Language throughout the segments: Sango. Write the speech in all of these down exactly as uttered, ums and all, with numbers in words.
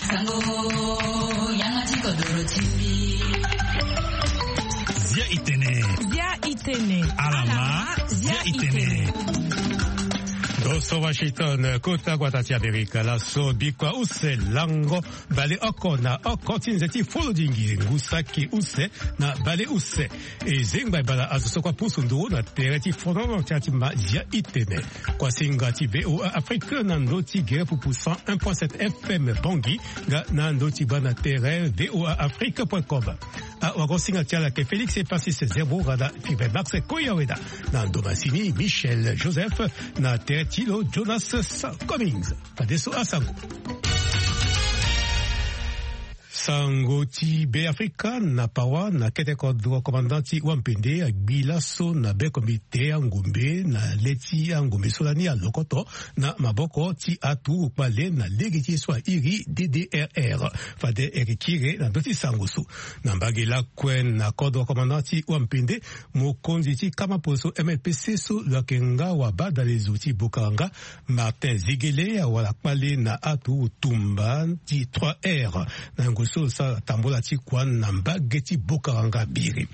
Sango, yanga ti kodoro ti mbi. Zia itene. Zia itene. Alama, zia itene. Ndo so Washington, kota gbata ti Amerika, laso bikua use lango baleoko na oko ti nze ti folodingi ngu saki use na baleuse. E zengba e bala azo so kue apusu nduru na tere ti fonono ti ati ma zia itene. Kuasinga ti V O A Afrique na ndö ti gere pupu cent un point sept F M Bangui, nga na ndö ti baa na tere V O A Afrique point com. Awagosinga ti ala ayeke Félix Epasis Zerbo, nga na Fibe Max Koyaweda. Na ndo masini, Michel Joseph, na tere ti lo, Jonas Sa-, Cummings. Fadeso asango. Sango ti Beafrika na Pawa, na kete kodro, commandant ti wampende agbi laso na be komite angombe na le ti angombe so lani alokoto na maboko ti aturugu kpale na lege ti ye so airi D D R R. Fade e yeke kiri na ndö ti sango so. Na mbage lakue na kodro, commandant ti wampende, mokonzi ti kama poso M L P C so lo yeke nga wabadalezo ti Bokaranga, Martin Zegele, awara kpale na aturugu tumba ti trois R. Na yango so lo sara tambula ti kua na mbage ti Bokaranga Biri.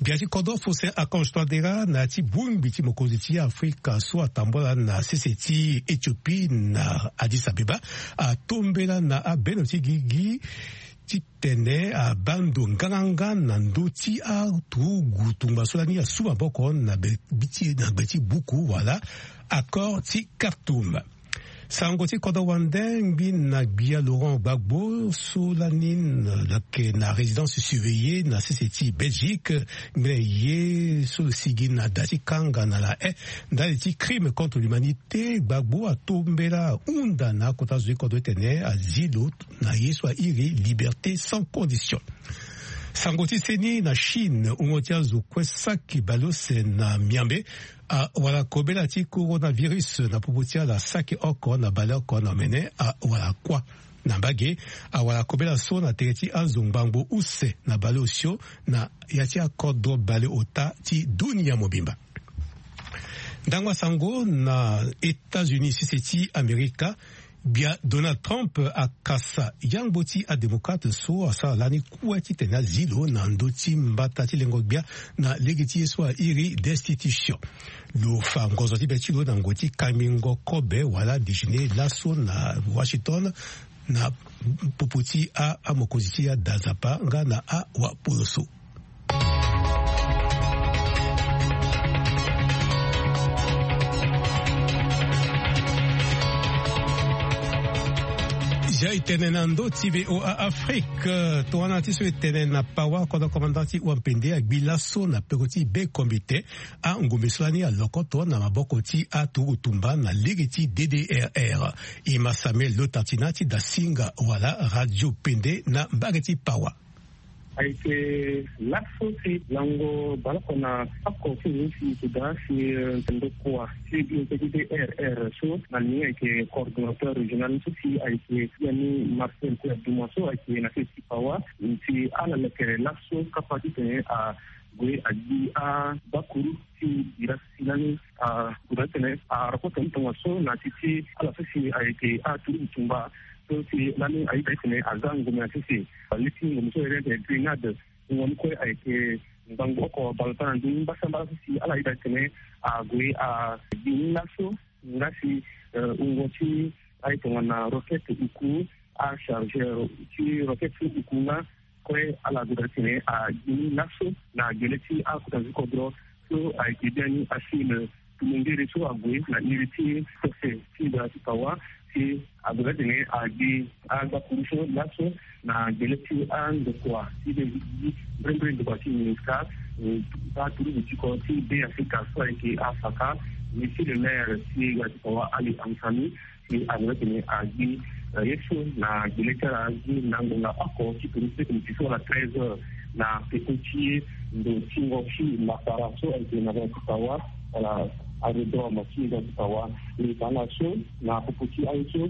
Gbia ti kodro Faustin Archange Touadéra, na ya ti bongbi ti mokonzi ti Afrika so atambula na sese ti Éthiopie na Addis Abeba, atombela na abeno ti gigi titene abaa ndo nganganga na ndö ti aturugu tungba so lani asu maboko na gbe ti, na gbe ti buku wala accord ti Khartoum. Sango ti kodro wande ngbi na gbia Laurent Gbagbo so lani na, na, na résidence surveillée na sese ti Belgique. Ngbene ye so lo sigi na da ti kanga na la haie ndali ti crime contre l'humanité, Gbagbo atombela hunda na akota zo ti kodro titene azi lo na ye so airi liberté sans condition. Sango ti seni na Chine, wungo ti azo kue saki baleuse na miambe awara kobela ti coronavirus na popo ti ala saki oko na baleoko na omene awara kuâ. Na mbage, awara kobela so na tere ti azo ngbangbo use na baleosio na ya ti akodro baleota ti dunia mobimba. Ndango asango na États-Unis, sese ti Amerika, gbia Donald Trump akasa yangbo ti adémocrate so asara lani kue titene azi lo na ndö ti mbata ti lengo gbia na lege ti ye so airi destitution. Lo fa ngonzo ti be ti lo na ngoi ti kangbingo kobe wala déjeuner laso na Washington, na popo ti a, amokonzi ti ada Nzapa nga na awapoloso. Zia itene na ndö ti V O A Afrique. Tongana ti so e tene na Pawa, kodro komanda ti wampende agbi laso na peko ti be komite angombe so lani alokoto na maboko ti aturugu tumba na lege ti D D R R. E ma Samuel Lotartina ti da singa wala Radio Pende na mbage ti Pawa. Ayeke laso si lango baleoko na oko ti ngu si e da si, eh, ndokua ti D D R R so na ni ayeke coordonnateur régional so si ayeke ya ni Marcel Kouya Douma so ayeke na sese ti Pawa. Si ala leke laso kapa titene ague agbi abakuru ti bira si lani ague titene arokoto ni tongaso na ti ti ala so si ayeke aturugu tumba so si lani ayeke titene aza ngombe na sese. Leti ngombe so ayeke titene Grenade. Wungo ni kue ayeke ngbangbo oko baleota na ndö ni mbasambala so si ala yeda titene ague agbi ni laso nga si, eh, wungo ti aye tongana roquette uku, achargeur ti roquette so uku nga kue ala gue daa titene agbi ni laso na gele ti akota zo ti kodro so ayeke biani Achille Tumengere so ague na iri ti sese ti gbara ti Pawa si ague daa titene agbi agbakuru so laso na gele ti andokua ti be gi mbrembre ndokua ti MINUSCA, eh, aturugu ti kodro ti Be Afrika so ayeke afaka, Monsieur le maire ti gbara ti Pawa Ali Amsami, si ague titene agbi, eh, ye so na gele ti ala gi na ngonga oko ti tolu ti miti so wala treize heures na peko ti ndo ti ngo ti Lapara so ayeke na gbara ti Pawa wala aérodrome ti gbara ti Pawa. Ni tanga so na popo ti aye so,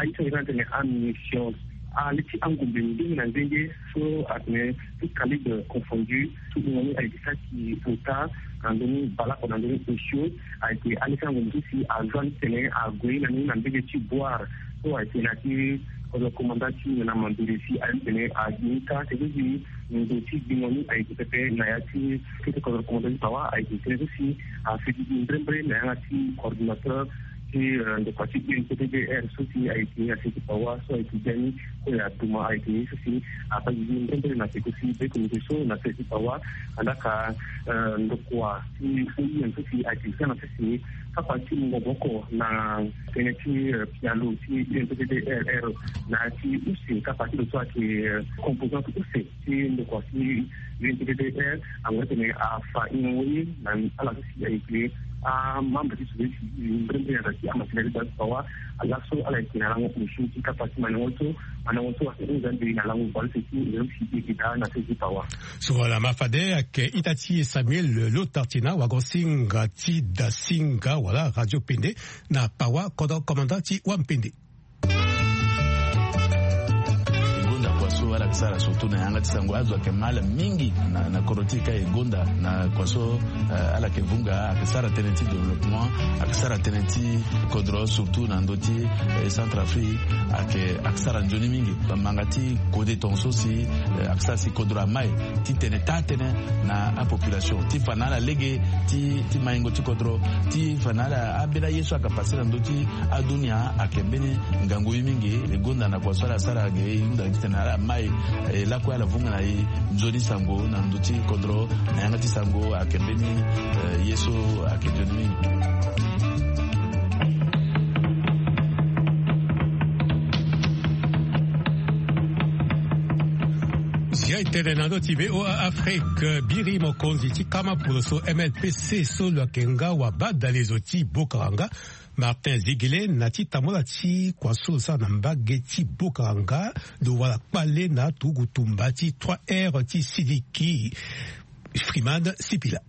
aye so ayeke titene amunition, aleti angombe ndenge na ndenge so atene tout calibre confondu, so wungo ni ayeke saki ota na ndö ni baleoko na ndö ni osio, ayeke aleti angombe so si aza ni titene ague na ni na mbege ti Bouar So ayeke na ya ti kodro komanda ti nana mambiri si aye titene agi ni ka tene si ndo ti gbingo ni ayeke pepe na ya ti kete kodro komanda ti pawa ayeke tënë so si afe gigi mbrembre na yanga ti coordinateur ti ndokua ti unpddr so si ayeke na se ti pawa so ayeke biani kue aduma ayeke ye so si afa gigi mbrembre na peko ti be comité so na se ti pawa. Andaka ndokua ti oim so si ayeke za na se si kapa ti mungo moko na tënë ti pialo ti unpddr na ya ti use kapa ti lo so ayeke composante use ti ndokua ti unpddr. Ango titene afa ingo ye na ala so si ayeke amembre ti société civile mbrembre na da ti amasina ti da ti pawa. Ala so ala yeke na lango machine ti kapa ti mandango so mandango so ayeke hunda mbi na lango bale ti nzoni si e yeke daa na se ti pawa. So wala ma fade ayeke ita ti e Samuel Lotartina wagosinga ti dasinga wala radio pende na pawa kodro komanda ti wampende. E gonda kua so ala yeke sara surtout na yanga ti sango azo ayeke ma ala mingi na kodro ti e ka e gonda na kua so ala yeke vunga ayeke sara tënë ti développement ayeke sara tënë ti kodro surtout na ndö ti centre afrique. Ayeke sara nzoni mingi bamanga ti kode tonga so si ayeke sara si kodro amai ti tene taa tënë na apopulation ti fa na ala lege ti maingo ti kodro ti fa na ala ambeni aye so ayeke pase na ndö ti adunia ayeke mbeni ngangu ye mingi. E gonda na kua so ala sara ge e hunda titene ala mai e lakue ala vunga na e nzoni sango na ndö ti kodro na yanga ti sango ayeke mbeni ye so ayeke nzoni mingi. Zia e tene na ndö ti voa afrique biri mokonzi ti kama polo so mnpc so lo yeke nga wabadalezo ti bokaranga martin zigele na ti tambola ti kua so lo sara na mbage ti bokaranga lo wara kpale na aturugu tumba ti trois heures ti siliki. Freeman sipila.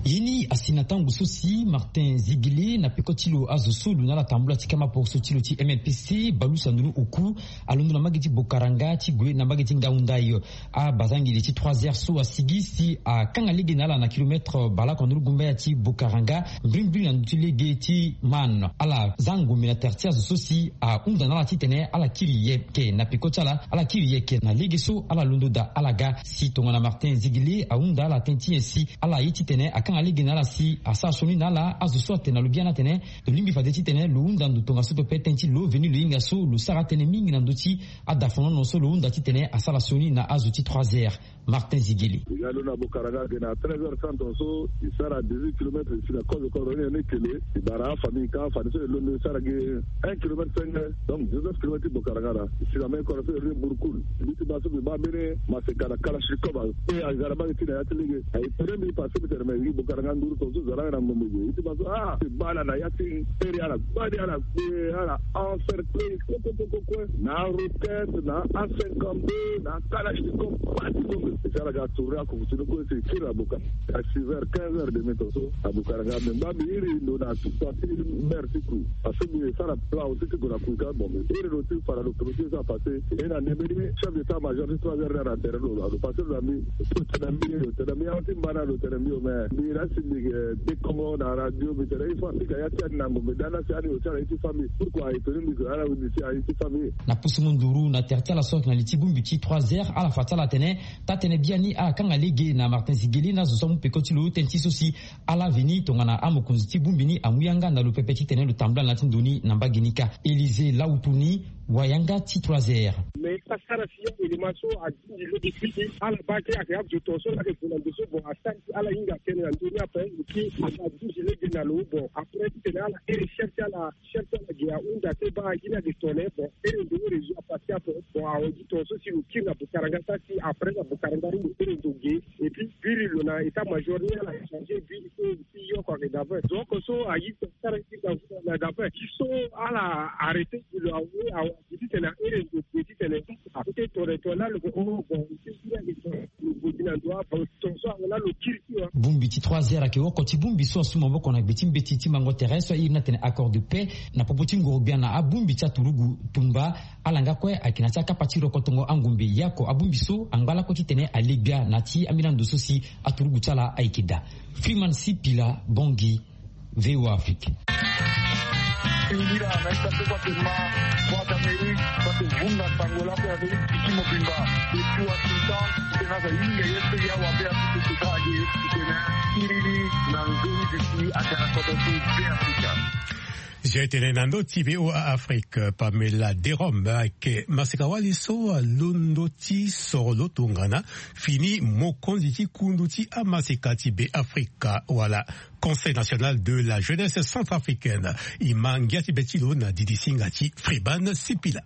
Ye ni asi na tango so si martin zigele na peko ti lo azo so lo na ala tambula ti kama poroso ti lo ti mnpc balusa ndoni oku alondo na mbage ti bokaranga ti gue na mbage ti ngaunda yo. Abazangeli ti trois heures so asigi si akanga lege na ala na kilometre baleoko na nduru gumbaya ti bokaranga mbirimbiri na ndö ti lege ti man ala za ngombe na tere ti azo so si ahunda na ala titene ala kiri yeke na peko ti ala ala kiri yeke na lege so ala londo daa ala ga si tongana martin zigele ahunda ala tënë ti nyen si ala ye titene akanga lege na ala si asara sioni na ala azo so atene na lo biani atene lo lingbi fade titene lo hunda ndo tongaso pepe tënë ti lo veni lo hinga so lo sara atënë mingi na ndö ti adafonono so lo hunda titene asara sioni na azo ti trois heures. Martin zigele. E ga lo na bokaranga ake na treize heures trente tongaso e sara dix-huit kilometre e si na kozo kozo ni eke lo e bara afamille ka afamille so e londo e sara ge un kilometre cinq heures. Donc dix-neuf kilometre ti bokaranga na e si na me kora so e re burkul. Mbi ti baa so mbi baa mbeni maseka na kalashnikov ape aga na mbage ti na ya ti lege aye tere mbi pase mbi tene me e gi bokaranga nduru tongaso zara nga na ngombe ge e ti baa so ah e baa ala na ya ti tere ala gbani ala gbe ala encercler kokokokokue na aroquette na a cinquante-deux na akalashnikov pati ngombe e si ala ga tourner akufu ti lo kue si e kiri na boka. A six heures quinze heures demi tongaso na bokaranga me ngba mbi iri ndo na tupa ti mer ti kui. Parce que mbi sara plan aussi ti gue na kui ka bon mbi iri lo ti fa na lo kilo ti so apasse e na nde mbeni chef d'état major ti trois heures na tere lo alo passe lo na mbi. Lo tene na mbi lo tene na mbi ahon ti mba na lo tene na mbi o mais mbi laa si mbi yeke dekongo na radio mbi tene il faut apika ya ti ani na ngombe daa na si ani lo ti ala ye ti famille pourquoi aye toni mbi gue ala windi si aye ti famille. Na pusu mu nduru na tere ti ala so ayeke na li ti bongbi ti trois heures ala fa ti ala tene taa-tënë biani ala kanga lege na martin zigele na azo so amu peko ti lo tënë ti so si ala veni tongana amokonzi ti bongbi ni amu yanga na lo pepe titene lo tambula na ya ti ndo ni na mbage ni kâ. Élysée lautu ni wayanga ti trois heures. Mais e sara si ya élément so adindi lege ti ala baa ti ayeke azo tongaso laa ayeke gue na ndo so bon asara si ala hinga tënë na ndö ni ape. Eki ala duzi lege na lo bon après titene ala iri chef ti ala chef ti ala ge ahunda te baa gi ni ayeke tene bon iri ndo réseau apasse ape. Bon awe gi tongaso si lo kiri na bokaranga sara si après na bokaranga ni lo iri ndo ge. Et puis biri lo na état major ni ala échange biri so si yoko ayeke daver donc so ayi sara ti na daver ti so ala arrêté ti lo awe awe ti tene aere ndo ge ti tene. Akote tore tore laa lo ke o bon ti biri ayeke tore lo godi na ndo abon tongaso awe laa lo kiri ti wa. Bongbi ti trois heures ayeke oko ti bongbi so asu maboko na gbe ti mbeti ti mango tere so airi ni atene accord de paix na popo ti ngorogbia na abongbi ti aturugu tumba. Ala nga kue ayeke na ti akapa ti rokotongo angombe yako abongbi so angba lako titene ale gbia na ti ambeni ando so si aturugu ti ala ayeke daa. Freeman sipila bongi. Voa afrique. Iri na ita so kua te ma, kua te amerike kua te vunga sango lako ya amerike piki mobimba. Eti washington, tena za yinga ye so ya wabe ya piki te ka age tena. Iri na nzoni de ti ata na kodo ti be afrika. Zia etene na ndo ti voa afrique pamela derom ayeke maseka wali so alondo ti soro lo tongana fini mokonzi ti kundu ti amaseka ti be afrika wala conseil national de la jeunesse centrafricaine. E ma ngia ti be ti lo na didi singa ti friban sipila.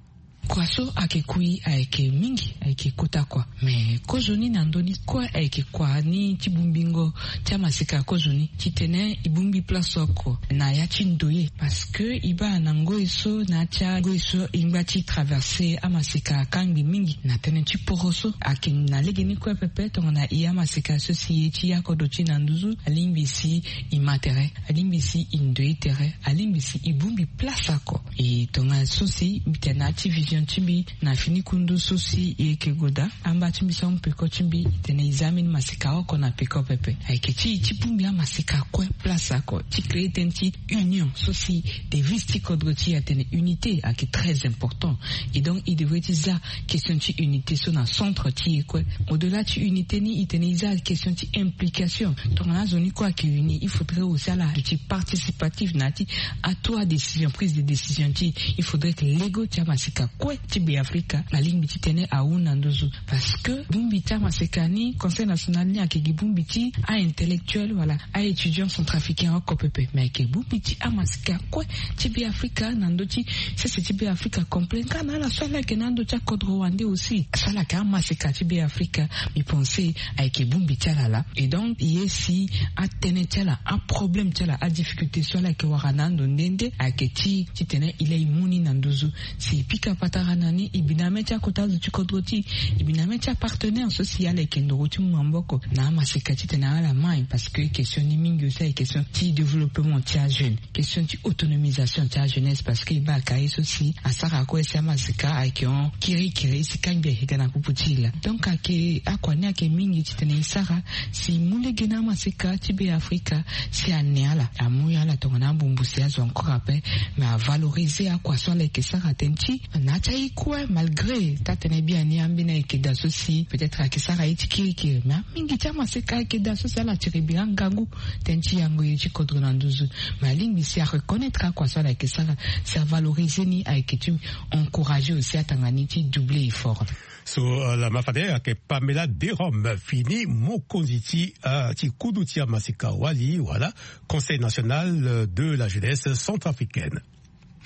Kua so ayeke kui ayeke mingi, ayeke kota kua. Me kozoni na ndoni kue ayeke kua ni ti bongbingo ti amaseka kozoni titene e bongbi place oko na ya ti ndoye, parce que e baa na ngoi so na ya ti angoi so e ngba ti traverse amaseka akangbi mingi na tënë ti poro so. Ayeke na legeni kue pepe tongana e amaseka so si e ye ti ya kodro ti e na nduzu alingbi si e ma tere, alingbi si e ndoye tere, alingbi si e bongbi place oko. E tongaso si mbi tene na ya ti vision ti mbi na fini kundu so si e yeke goda amba ti mbi so amu peko ti mbi, e tene e za ambeni maseka oko na peko pepe. Ayeke ti e ti bongbi amaseka kue place oko ti créer tënë ti union so si devise ti kodro ti e atene unité ayeke très important. Et donc e devrait ti za question ti unité so na centre ti e kue. Au delà ti unité ni e tene e za question ti implication. Tongana azo ni kue ayeke uni, il faudrait aussi ala duti participatif na ya ti atu adécision, prise de décision ti e. Il faudrait que lego ti amaseka kue ti be afrika alingbi titene ahunda nduzu. Parce que bongbi ti amaseka ni, conseil national ni ayeke gi bongbi ti a-intellectuel wala a-étudiant centrafricain oko pepe, me ayeke bongbi ti amaseka kue ti be afrika na ndö ti sese ti be afrika complet nga na ala so ala yeke na ndö ti akodro wande aussi. So ala yeke amaseka ti be afrika, mbi pense ayeke bongbi ti ala laa. Et donc e ye si atënë ti ala, aproblème ti ala, adifficulté so ala yeke wara na ando nde nde ayeke ti titene e laa e mu ni na nduzu. Si e pika patara na ni, e bi na mê ti akota azo ti kodro ti e, e bi na mê ti apartenaire so si ala yeke ndoro ti mu maboko na amaseka titene ala mai. Parce que question ni mingi aussi ayeke question ti développement ti ajeune, question ti autonomisation ti ajeunesse, parce que e baa ka ye so si asara kue si amaseka ayeke hon kirikiri si kangbi ayeke ga na popo ti e laa. Donc ayeke akua ni ayeke mingi titene e sara si e mu lege na amaseka ti be afrika si ane ala, amu ala tongana ambumbu si azo encore ape. Me avaloriser akua so ala yeke sara tënë ti na ya ti aye kue, malgré taa-tënë biani ambeni ayeke daa so si peut-être ayeke sara ye ti kirikiri, me mingi ti amaseka ayeke daa so si ala tiri bira ngangu tënë ti yango ye ti kodro na nduzu. Me alingbi si areconnaitre akua so ala yeke sara, si avaloriser ni, ayeke ti encourager aussi atanga ni ti doubler effort. So lama fade ayeke pamela derom fini mokonzi ti ti kudu ti amaseka wali wala conseil national de la jeunesse centrafricaine.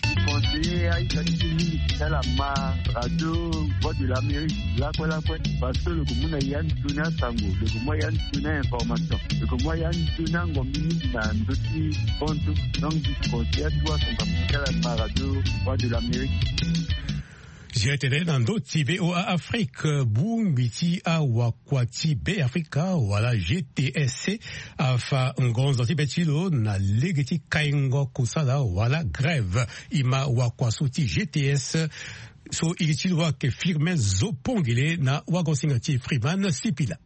Conseiller aita ti mingi ti ala ma radio voix de l'amérique lakue lakue, parce que lo ko mu na ya ndo ni asango, lo ko mu ya ndo ni information, lo ko mu ya ndo ni angombi mingi na ndo ti kontu. Donc disi conseiller atuwa sango ti ala ma radio voix de l'amérique. Zia tene na ndo ti voa afrique bongbi ti awakua ti be afrika wala gtsc afa ngonzo ti be ti lo na lege ti kaingo kosala wala grève. E ma wakua so ti gtsc so iri ti lo ayeke firme zo pongele na wagosinga ti friman sipila.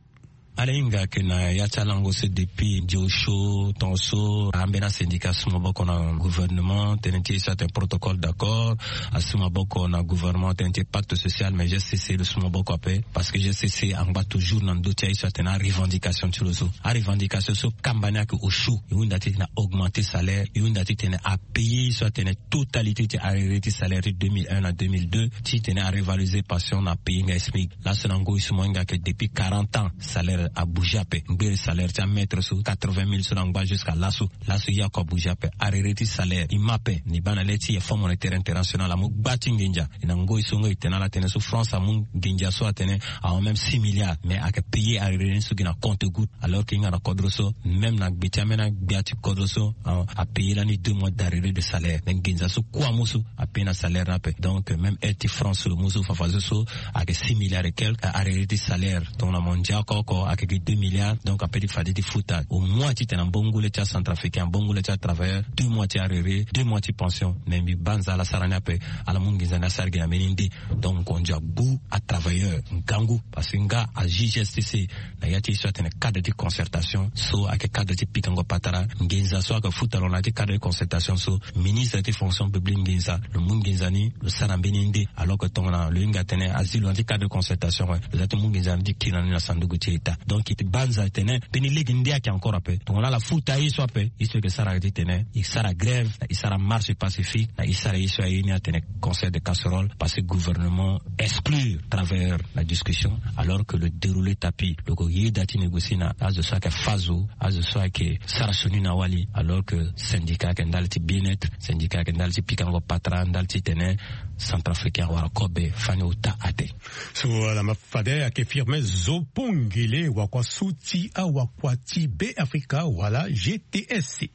Ala hinga ayeke na ya ti alango so depuis ndio so tongaso ambeni asyndicat asu maboko na gouvernement tënë ti e so atene protocole d'accord, asu maboko na gouvernement tënë ti e pacte social, mais gtsc lo su maboko ape. Parce que gtsc angba toujours na ndö ti aye so atene arevendication ti lo so. Arevendication so kamba ni ayeke osio, e hunda titene a augmenter salaire, e hunda titene apayer ye so atene totalité ti arrêté ti salaire ti deux mille un na deux mille deux, titene arevaloriser pension na payer nga smic. Laso na ngoi so mo hinga ayeke depuis quarante ans salaire abouger ape. Ngbere salaire ti amaître so quatre-vingt mille so na ngba jusqu'à laso. Laso ye oko abouger ape. Arrêté ti salaire e ma ape. Ni baa na le ti e fonds monétaire international amu gba ti nginza. E na ngoi so ngoi e tene ala tene so france amu nginza so atene ahon même six milliards, mais ayeke payer arrêté ni so gi na compte goutte. Alors que e hinga na kodro so, même na gbe ti ambeni agbia ti kodro so, apayer lani deux mois d'arrêté de salaire. Mais nginza so kue amu so apayer na salaire ni ape. Donc même aide ti france lo mu so fafazo so ayeke six milliards et quelque arrêté ti salaire. Tongana mo ndia oko oko Keke deux milliards, donc ape ti fade ti futa au moins titene ambongo le ti acentrafricain, ambongo le ti atravailleur, deux mois ti arere, deux mois ti pension. Mais mbi banza ala sara ni ape. Ala mu nginza ni asara gi na mbeni nde. Donc ngonzo agbu atravailleur ngangu, parce que nga a G G S T C, na ya ti ye so atene cadre ti concertation so ayeke cadre ti pikango patara. Nginza so ayeke futa lo na ya ti cadre ti concertation so, ministre ti fonction publique nginza, lo mu nginza ni lo sara mbeni nde. Alors que tongana lo hinga atene azi lo na ya ti cadre de concertation, lo za ti mu nginza ni ti kiri na ni na sanduku ti état. Donc e ti banza atene mbeni lege nde ayeke encore ape. Tongana ala futa ye so ape, ye so eke sara ayeke titene e sara grève, na e sara marche pacifique, na e sara ye so aye ni atene concert de casserole, parce que gouvernement exclure travailleur na discussion, alors que lo déroule tapis, lo ko yeda ti négocier na azo so ayeke fa zo, azo so ayeke sara sioni na wali, alors que syndicat ayeke ndali ti bien-être, syndicat ayeke ndali ti pikango patara, ndali titene centrafricain awara kobe fani ota ate. So ala ma fade ayeke Firmin Zopongele, wakua so ti awakua ti Be Afrika wala G T S C.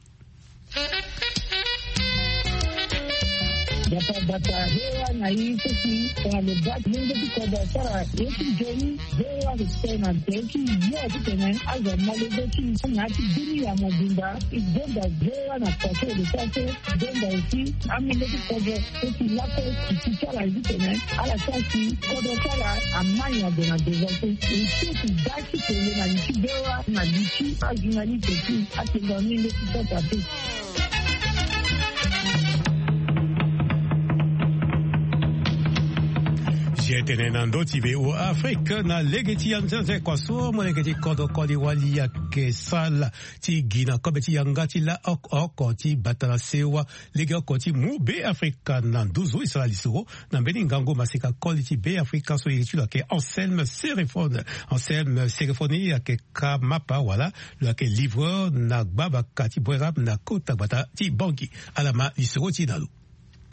Bata bata, hewa na i so si tongana lo baa ti lenge ti kodro asara ye ti nzoni, hewa respect na nze ti yo titene azo amolenge ti na ya ti dunia mobimba. E gonda hewa na paso lo sara so, gonda aussi amolenge ti kodro so si lakue si ti ti ala ye titene ala sara si kodro ti ala amai na gue na devant so. E ti si daa ti tene na li ti hewa na li ti ajournaliste ti atene na ni nde ti sasa te. Zia tene na ndö ti V O A Afrique na lege ti anzenze kua so molenge ti kodro koli wali ayeke sala ti gi na kobe ti yanga ti la oko oko ti bata na sewa lege oko ti mu Be Afrika na nduzu e sara lisoro na mbeni ngangu maseka koli ti Be Afrika so iri ti lo ayeke Anselme Sérifone. Anselme Sérifone ayeke kamapa wala lo yeke livreur na gbabaka ti Boeram na kota gbata ti Bangui. Ala ma lisoro ti e na lo.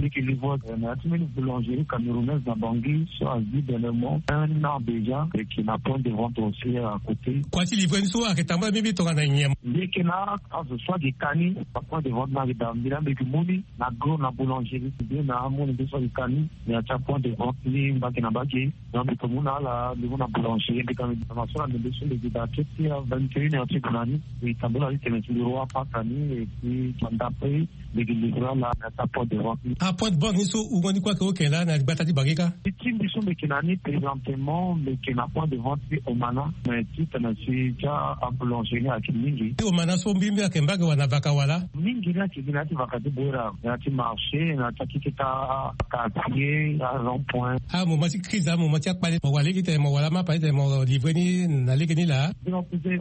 Mbi yeke livreur na ya ti mbeni boulangerie camerounaise na Bangui so azi dernièrement un an déjà. Mbi yeke na point de vente aussi à côté. Kua ti livrer ni so ayeke tambula mingi tongana nyen? Mbi yeke na azo so ayeke ka ni. Apoint de vente ni ayeke daa mbi laa mbi yeke mu ni na gros na boulangerie ti bien na amolenge so ayeke ka ni. Na ya ti apoint de vente ni mbage na mbage. Donc mbi yeke mu na ala mbi mu na boulangerie mbi ka mbi daa na so na ndembe so mbi yeke daa ti ti a vingt et une heures ti gue na ni. Mbi tambula ni tene ti mbi roi apasa ni et puis ndape. Mbi yeke livrer ala na ya ti apoint de vente ni. Apoint de vente ni so wungo ni kue ayeke oke laa na gbata ti Bangui kâ? Ti ti mbi so mbi yeke na ni présentement mbi yeke na point de vente ti Omana. Mais titene si ti aboulangerie ni ayeke mingi. Ti Omana so mbi mbi ayeke mbage wala na vaka wala? Mingi ni ayeke gi na ya ti vaka ti Boeram, na ya ti marché, na ya ti akeketa quartier, arond point. Amoment ti crise, amoment ti akpale mo wara lege titene mo wara mapa titene mo livrer ni na lege ni laa?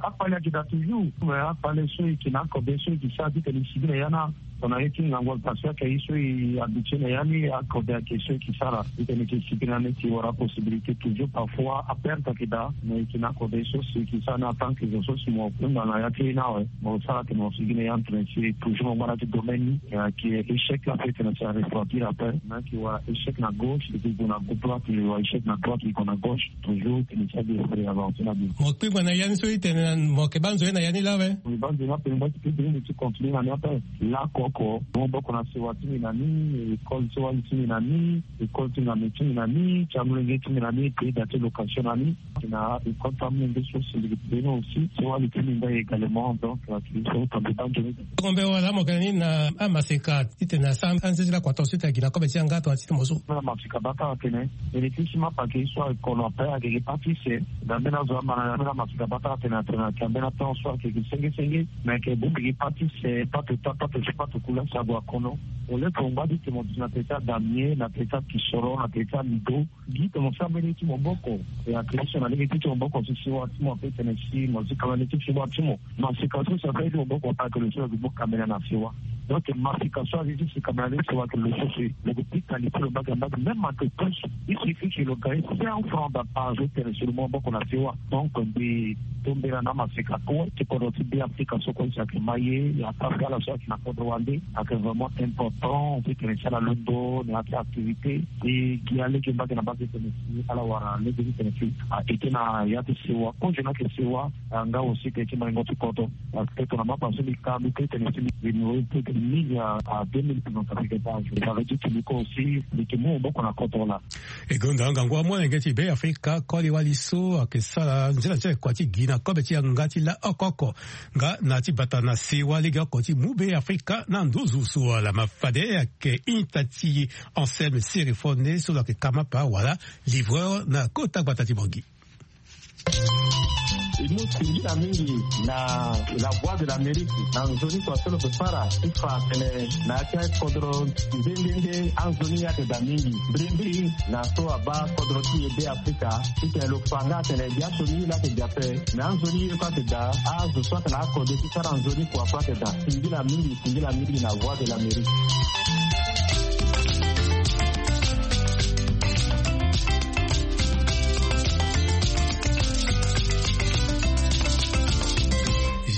Akpale ayeke daa toujours. Mais akpale so e yeke na akobe so e yeke sara titene e sigi na ya na tongana ye ti ngangu agbata so ayeke ye so e habitué na ya ni, akobe ayeke so e yeke sara titene e yeke sigi na ni ti wara possibilité toujours parfois aperte ayeke daa. Mais e yeke na akobe so si e yeke sara ni en tant que zo so si mo kpengba na ya ti ye ni awe. Mo sara atene mo sigi na ya titene si toujours mo ngba na ya ti domaine ni. Ayeke échec la ape titene si arefroidir ape. Mais ayeke wara échec na gauche e yeke gue na droite, e wara échec na droite e yeke gue na gauche. Toujours titene si ade e avancer na bien. Mo kpengba na ya ni so e tene na mo yeke baa nzoni na ya ni laa awe? Mbi baa nzoni ape mbi baa ti kpengba ti continuer na ni ape. Lakoko mo boko na sewa ti mbi na ni, école ti wali ti mbi na ni, école ti ngame ti mbi na ni, ti amolenge ti mbi na ni, pays da ti location na ni. Na école ti amolenge so si mbi yeke payé ni aussi, ti wali ti mbi ndai également. Donc ayeke so tambi baa nzoni. Tongombe wala mo yeke na ni na amaseka titene asara anze ti lakua tongaso titene agi na kobe ti yanga tongana ti ti mo so? Mbeni amaseka bata atene bénéfice ti mapa ayeke ye so ayeke kono ape ayeke ge parti se. Na mbeni azo ama na ya mbeni amaseka bata atene atene ayeke na mbeni atension so ayeke ge senge senge. Mais ayeke bongbi ge parti se, parti ota, parti so, parti kula si ague akono. Au lieu que mo ngba ti tene mo duti na tere ti adamie, na tere ti akisoro, na tere ti alido. Gi tene mo sara mbeni ye ti maboko. E ayeke ye so na lege ti ti maboko si sewa ti mo ape tene si mo zi kamene ti sewa ti mo. Maseka so si ape ye ti maboko ape ayeke lo so lo yeke mu kamene na sewa. Donc maseka so azi ti si kamene na lege ti sewa ayeke lo so si lo yeke pika li ti lo mbage na mbage même un peu plus. Il suffit que lo gagne cent francs da par jour tene si lo mu maboko na sewa. Donc mbi tombela na amaseka kue ti kodro ti Be Afrika so kue si ayeke ma ye, ya ta ti ala so ayeke na kodro wande. Ayeke vraiment important ti tene si ala londo na ya ti activité. E gi alege mbage na mbage tene si ala wara lege ti tene si a ete na ya ti sewa. Kozo ni ayeke sewa, a nga aussi tene ti maingo ti kodro. Parce que tongana mapa so mbi ka mbi pe tene si mbi mbi mbi pe tene Ligue à deux mille représentants. Avec du Kimiko aussi, le Kimiko, beaucoup na contre là. E gonda ngangu amolenge ti Be Afrika koli wali so ayeke sara nzela nzela kua ti gi na kobe ti yanga ti la oko oko. Nga na ti bata na sewa lege oko ti mu Be Afrika na nduzu so ala ma fade ayeke ita ti Anselme Sirifone so lo yeke kamapa wala livreur na kota gbata ti Bangui. E mu singila mingi na La Voix de l'Amérique na nzoni kua so lo yeke sara ti fa tene na ya ti akodro nde nde nde anzoni ye ayeke daa mingi. Mbirimbiri na so abaa kodro ti e Be Afrika titene lo fa nga atene biaso ni ye laa ayeke daa ape. Me anzoni ye kue ayeke daa, azo so ayeke na akode ti sara nzoni kua kue ayeke daa. Singila mingi, singila mingi na Voix de l'Amérique.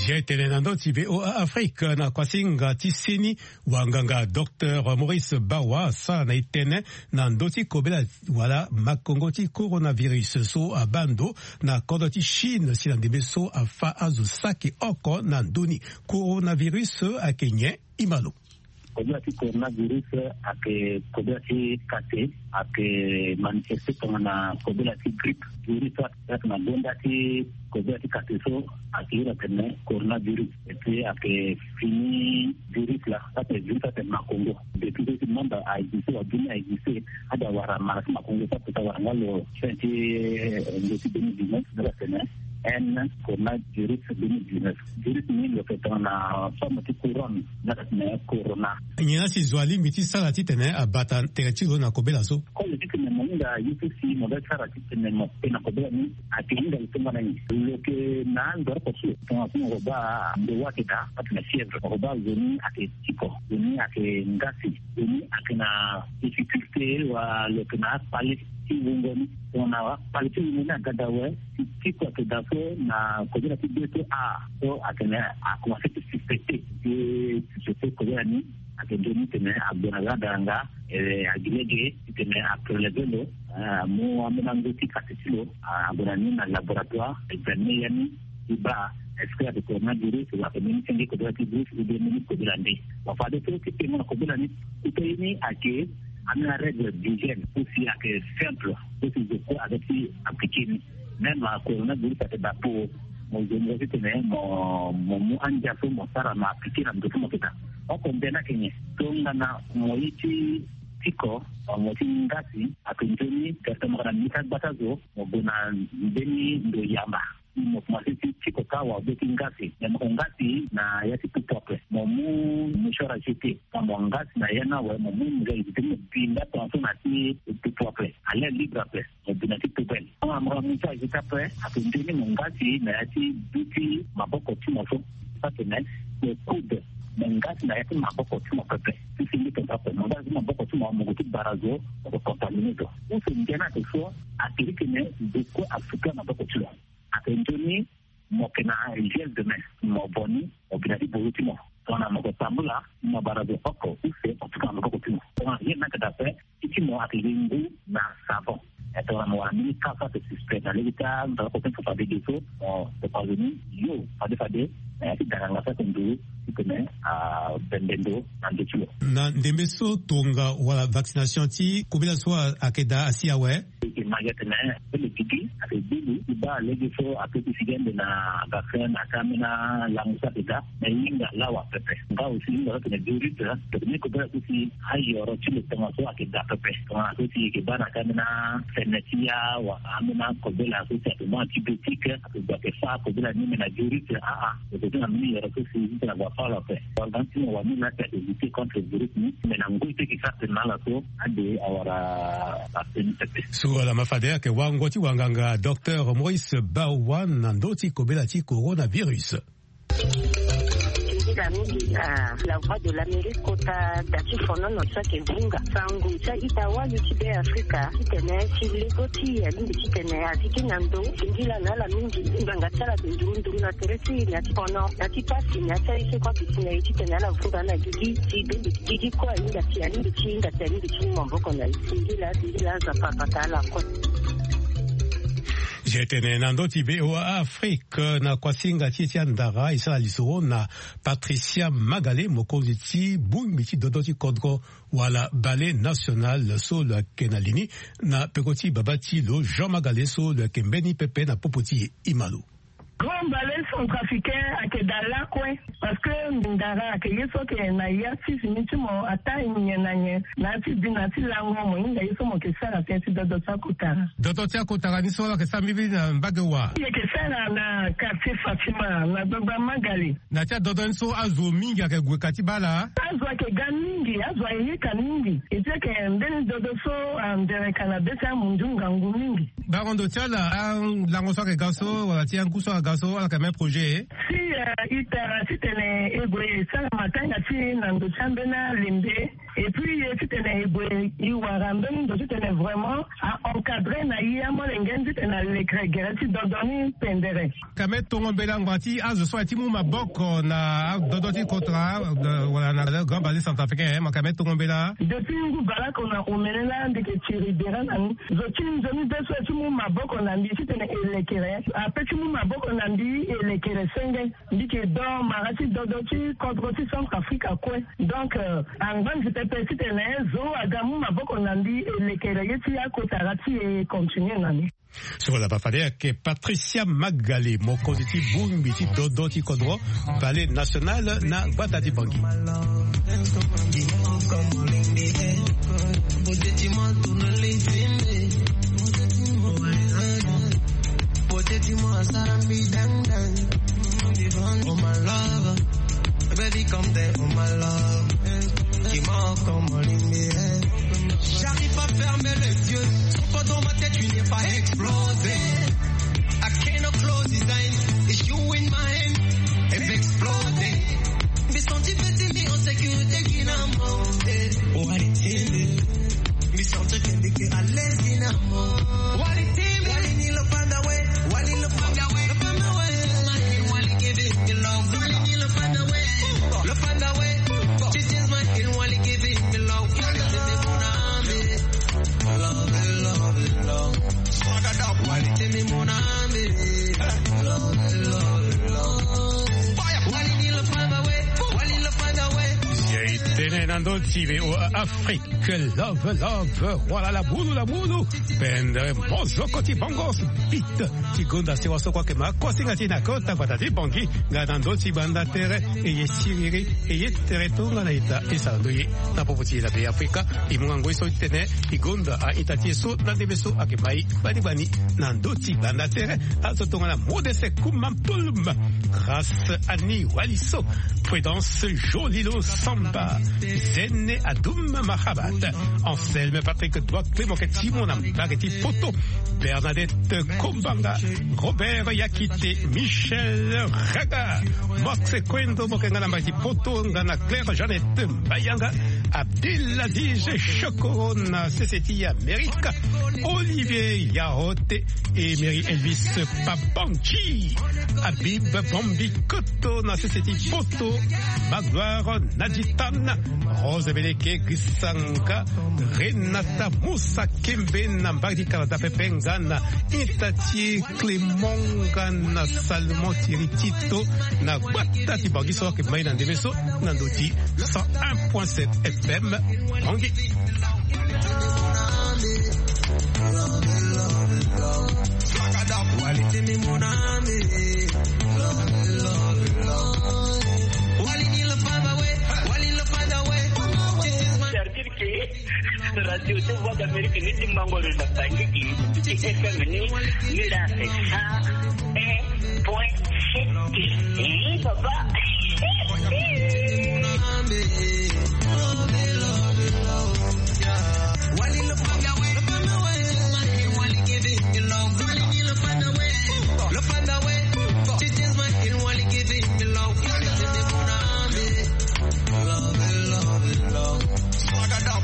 Zia tene na ndö ti V O A Afrique na kuasinga ti seni, wanganga Docteur Maurice Bawa asara na e tënë na ndö ti kobela wala makongo ti coronavirus so abaa ndo na kodro ti Chine si na ndembe so afa azo saki oko na ndö ni. Coronavirus ayeke nyen? Ima lo. Kobela ti coronavirus ayeke kobela ti kate, ayeke manifeste tongana kobela ti grippe. Virus so ayeke na gonda ti kobela ti kate so ayeke iri atene coronavirus. Et puis ayeke fini virus la, so ayeke virus so ayeke makongo. Depuis so ti monde a existe, wa dunia a existe, ade awara mara ti makongo so ape ti awara nga lo fin ti, eh, nze ti deux mille dix-neuf, nde atene N coronavirus deux mille dix-neuf. Virus ni lo yeke tongana forme ti couronne, nde atene corona. Nyen la si zo alingbi ti sara titene abata tere ti lo na kobela so? Koli titene mo hinga ye so si mo ga ti sara titene mo pe na kobela ni, ayeke hinga lo tongana nyen? Lo yeke na andoro oko so tongana so mo baa ndo wa ayeke daa, atene fièvre, mo baa zo ni ayeke tiko, zo ni ayeke ngasi, zo ni ayeke na difficulté, wa lo yeke na akpale ti wungo ni. Tongana akpale ti wungo ni aga daa awe, si tiko ayeke daa so na kobela ti be so, a so atene akomanse ti suspecté. Ti suspecté kobela ni, ayeke nzoni titene agbo na ga daranga, eh, agi lege titene apreleve lo, eh, amu ambeni ango ti kati ti lo, ah, ague na ni na laboratoire, examine ya ni ti baa est-ce que ayeke coronavirus, wala ayeke mbeni senge kobela ti virus, ou bien mbeni kobela nde. Bon, fade so ti tengo na kobela ni, kota ye ni ayeke ambeni arègle d'hygiène so si ayeke simple, so si zo kue aga ti appliqué ni. Même coronavirus ayeke daa po, mo zo mo titene mo, mo mu andia so mo sara, mo appliqué na ndo so mo yeke daa. Oko mbeni ayeke nyen? Tongana mo ye ti tiko, mo ti ngasi, ayeke nzoni tene mo yeke na mbi ti agbata zo, mo gue na mbeni ndo yamba. Mo komanse ti tiko kâ, wa be ti ngasi. Me mo yeke ngasi na ya ti pupu ape, mo mu mouchoir à jeter. Tongana mo ngasi na ya ni awe, mo mu mouchoir à jeter, mo bi nda tongaso na ya ti pupu ape, à l'air libre ape. Mo bi na ti poubelle. Tongana mo yeke mouchoir à jeter ape, ayeke nzoni mo ngasi na ya ti du ti maboko ti mo so. Atene mo coude, mo ngasi na ya ti maboko ti mo pepe. Ti senge tongaso ape, mo ngasi ti maboko ti mo, mo gue ti bara zo, mo yeke contaminé zo. Use ndia ni ayeke so, ayeke iri tene zo kue asuka maboko ti lo. Ayeke nzoni mo yeke na gel de main, mo vo ni, mo bi na ti boro ti mo. Tongana mo yeke tambula, mo bara zo oko use, mo tuka na maboko ti mo. Tongana ye ni ayeke daa ape, ti ti mo ayeke gi ngu na savon. E tongana mo wara mbeni ka so ayeke suspect na lege ti amaboko ti mo, fade ge so, mo topa zo ni yo fade fade na ya ti daranga so ayeke nduru titene abembe ndo na ndo ti lo. Na ndembe so tonga wala vaccination ti kobela so ayeke daa asi awe? E yeke ma gi atene, so lo gigi ayeke gbu lo ti baa lege so ape ti sigi ande na vaccin na ya ti ambeni alango so ayeke daa. Me hinga lawa pepe. Nga aussi hinga so atene virus, tongana ni kobela so si ayoro ti lo tongaso ayeke daa pepe. Tongana so si e yeke baa na ya ti ambeni asene ti ya, wala ambeni akobela so si ayeke mu antibiotique, ayeke gue ayeke fâ akobela ni, me na virus, aa, lo yeke zi na mbeni yoro so si titene ague afâ lo ape. Wala nga ti mo wani laa si ayeke lutter contre virus ni, me na ngoi so e yeke sara tene na ala so, ade awara ape ni pepe. So ala ma fade ayeke wango ti wanganga Docteur Maurice Bawa na ndö ti kobela ti coronavirus. Singila mingi na La Voix de l'Amérique kota da ti fonono so ayeke vunga sango ti a-ita wali ti Be Afrika titene ti lego ti e alingbi titene a zi ti na ndo. Singila na ala mingi. Ngbanga ti ala ayeke nduru nduru na tere ti e na ya ti fono, na ya ti pasi, na ya ti aye so kue ayeke si na e titene ala vunga na gigi ti be. Gigi kue ahinga ti, alingbi ti hinga ti, alingbi ti mu maboko na e. Singila, singila, Nzapa abata ala kue. Ti e tene na ndö ti V O A Afrique na kuasinga ti e ti andara e sara lisoro na Patricia Magale, mokonzi ti bongbi ti dodo ti kodro wala Ballet National so lo yeke na li ni, na peko ti baba ti lo Jean Magale so lo yeke mbeni pepe na popo ti e. E ma lo. Grand Ballet Centrafricain ayeke daa lakue. Parce que ndara ayeke ye so ayeke na ya ti fini ti mo ataa nyen na nyen na ya ti bi na ya ti lango mo hinga ye so mo yeke sara si ti dodo ti akotara. Dodo ti akotara ni so ala yeke sara mbirimbiri na mbage wa? E yeke sara na quartier Fatima na gbagba Magale. Na ya ti adodo ni so azo mingi ayeke gue ka ti baa laa? Azo ayeke ga mingi, azo ayeke yeka mingi. E ti ayeke mbeni dodo so anzere ka na be ti amundu ngangu mingi. Bango ndo ti ala alango so ayeke ga so wala ti angu so ayeke ga so ala yeke même projet? Si, eh, e tara titene e gue e sara matanga ti e na ndo ti ambeni alembe. Et puis e titene e gue e wara mbeni ndo titene vraiment a encadrer na e amolenge ni titene alekere gere ti dodo ni pendere. Ka me tongo mbela ngbanga ti azo so aye ti mu maboko na adodo ti kotara, eh, wala na Grand Ballet Centrafricain, eh, ma ka me tongo mbela. Depuis ngu baleoko na omene laa mbi yeke tiri bere na ni. Zo ti nzoni be so aye ti mu maboko na mbi titene e lekere ape ti mu maboko na mbi e lekere senge. Mbi yeke do mara ti dodo ti kodro ti Centrafrique akue. Donc, eh, angba nzi pepe titene zo aga mu maboko na mbi e lekere ye ti akotara ti e continue na ni. So wala bafade ayeke Patricia Magale, mokonzi ti bongbi ti dodo ti kodro, Ballet National na gbata ti Bangui. Baby, come there, oh my love. Dis-moi comment. J'arrive pas à fermer les yeux. Trop dans ma tête, tu n'es pas explosé. I cannot close his eyes. It's you in my hand. It's exploding. Mbi senti peti mbi en sécurité, finalement. Eh, oh, allez, tiens. Mbi senti que mbi yeke à l'aise, finalement. Wali, tiens. Wali ni lo fanda we. Wali lo fanda we. Lo fanda we. Wali give it the love. Wali ni lo fanda we. Lo fanda we. She just my hill, wali give it the love. Wali give it the love. Ye e tene na ndö ti V O A Afrique, love, love, wala la bulu, la bulu. Pendre mozoko ti bongo beat ti gonda sewa so kue ayeke ma kuasinga ti e na kota gbata ti Bangui. Nga na ndö ti gbanda tere, e ye siriri, e ye tere tongana ita e sara ndo ye na popo ti e na Be Afrika. E mu nga ngoi so ti tene e gonda a-ita ti e so na ndembe so ayeke ma e gbani gbani na ndö ti gbanda tere. Azo tongana Modeste Kuma Mpulum, Grâce Annie Waliso, Prudence Jolilo Samba, Zene Adoum Mahabat, Anselme Patrick Doakle mo yeke ti mo na mbage ti poto, Bernadette Kombanga, Robert Yakite, Michel Raga, Max Kwendo mo yeke nga na mbage ti poto, nga na Claire Jeannette Mbayanga, Abdelaziz Chokoro na sese ti Amerika, Olivier Yahote, Emery Elvis Papanchi, Habib Bombi Koto na sese ti poto, Magloire Naditana, Rose Beleke Gisanga, Renata Musa Kembe na mbage ti Canada pepe nga na ita ti Clément nga na Salomon Thierry Tito na gbata ti Bangui so ayeke ma e na ndembe so na ndö ti cent un point sept F M Bangui. Radio de Voix d'Amérique ni ti mango lo na Bangui, ti F M ni, ni la c'est cent un point sept. Eh, papa.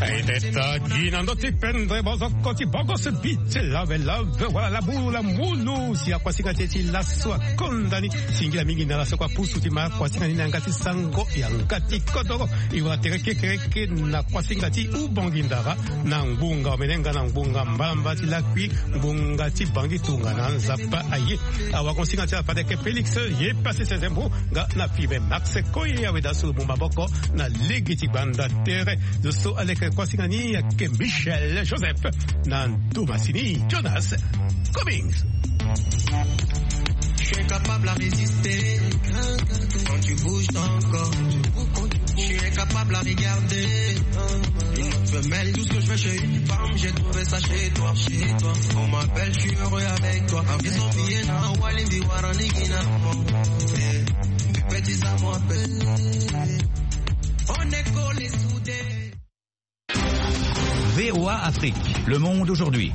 Aye, Tagi na ndö ti pendre bozoko ti bogos bite lave lave wala labu la mulu si akuasinga ti e ti laso akonda ni. Singila mingi na laso kua pusu ti ma kuasinga ni na yanga ti sango yanga ti kodoro. E wara tere kekereke na kuasinga ti ubongi ndara na ngbunga omenenga na ngbunga mbalamba ti lakui ngbunga ti bangi tongana nzapa aye. Awakonsinga ti ala fade yeke Félix ye pasi sezembo nga na fibe Max Koye awe da so lo mu maboko na lege ti gbanda tere. Zo so aleke kuasinga ni ayeke Michel Joseph na ndomasini Jonas Cummings. Je suis incapable à résister quand tu bouges ton corps. Je suis incapable à regarder une autre femelle. Tout ce que je veux, j'ai une femme, j'ai trouvé ça chez toi, chez toi. On m'appelle, je suis heureux avec toi. Ils sont bien, na Walindi, Warani, Guinamon. Eh, petit, ça m'appelle. On est collés soudés. V O A Afrique, le monde aujourd'hui.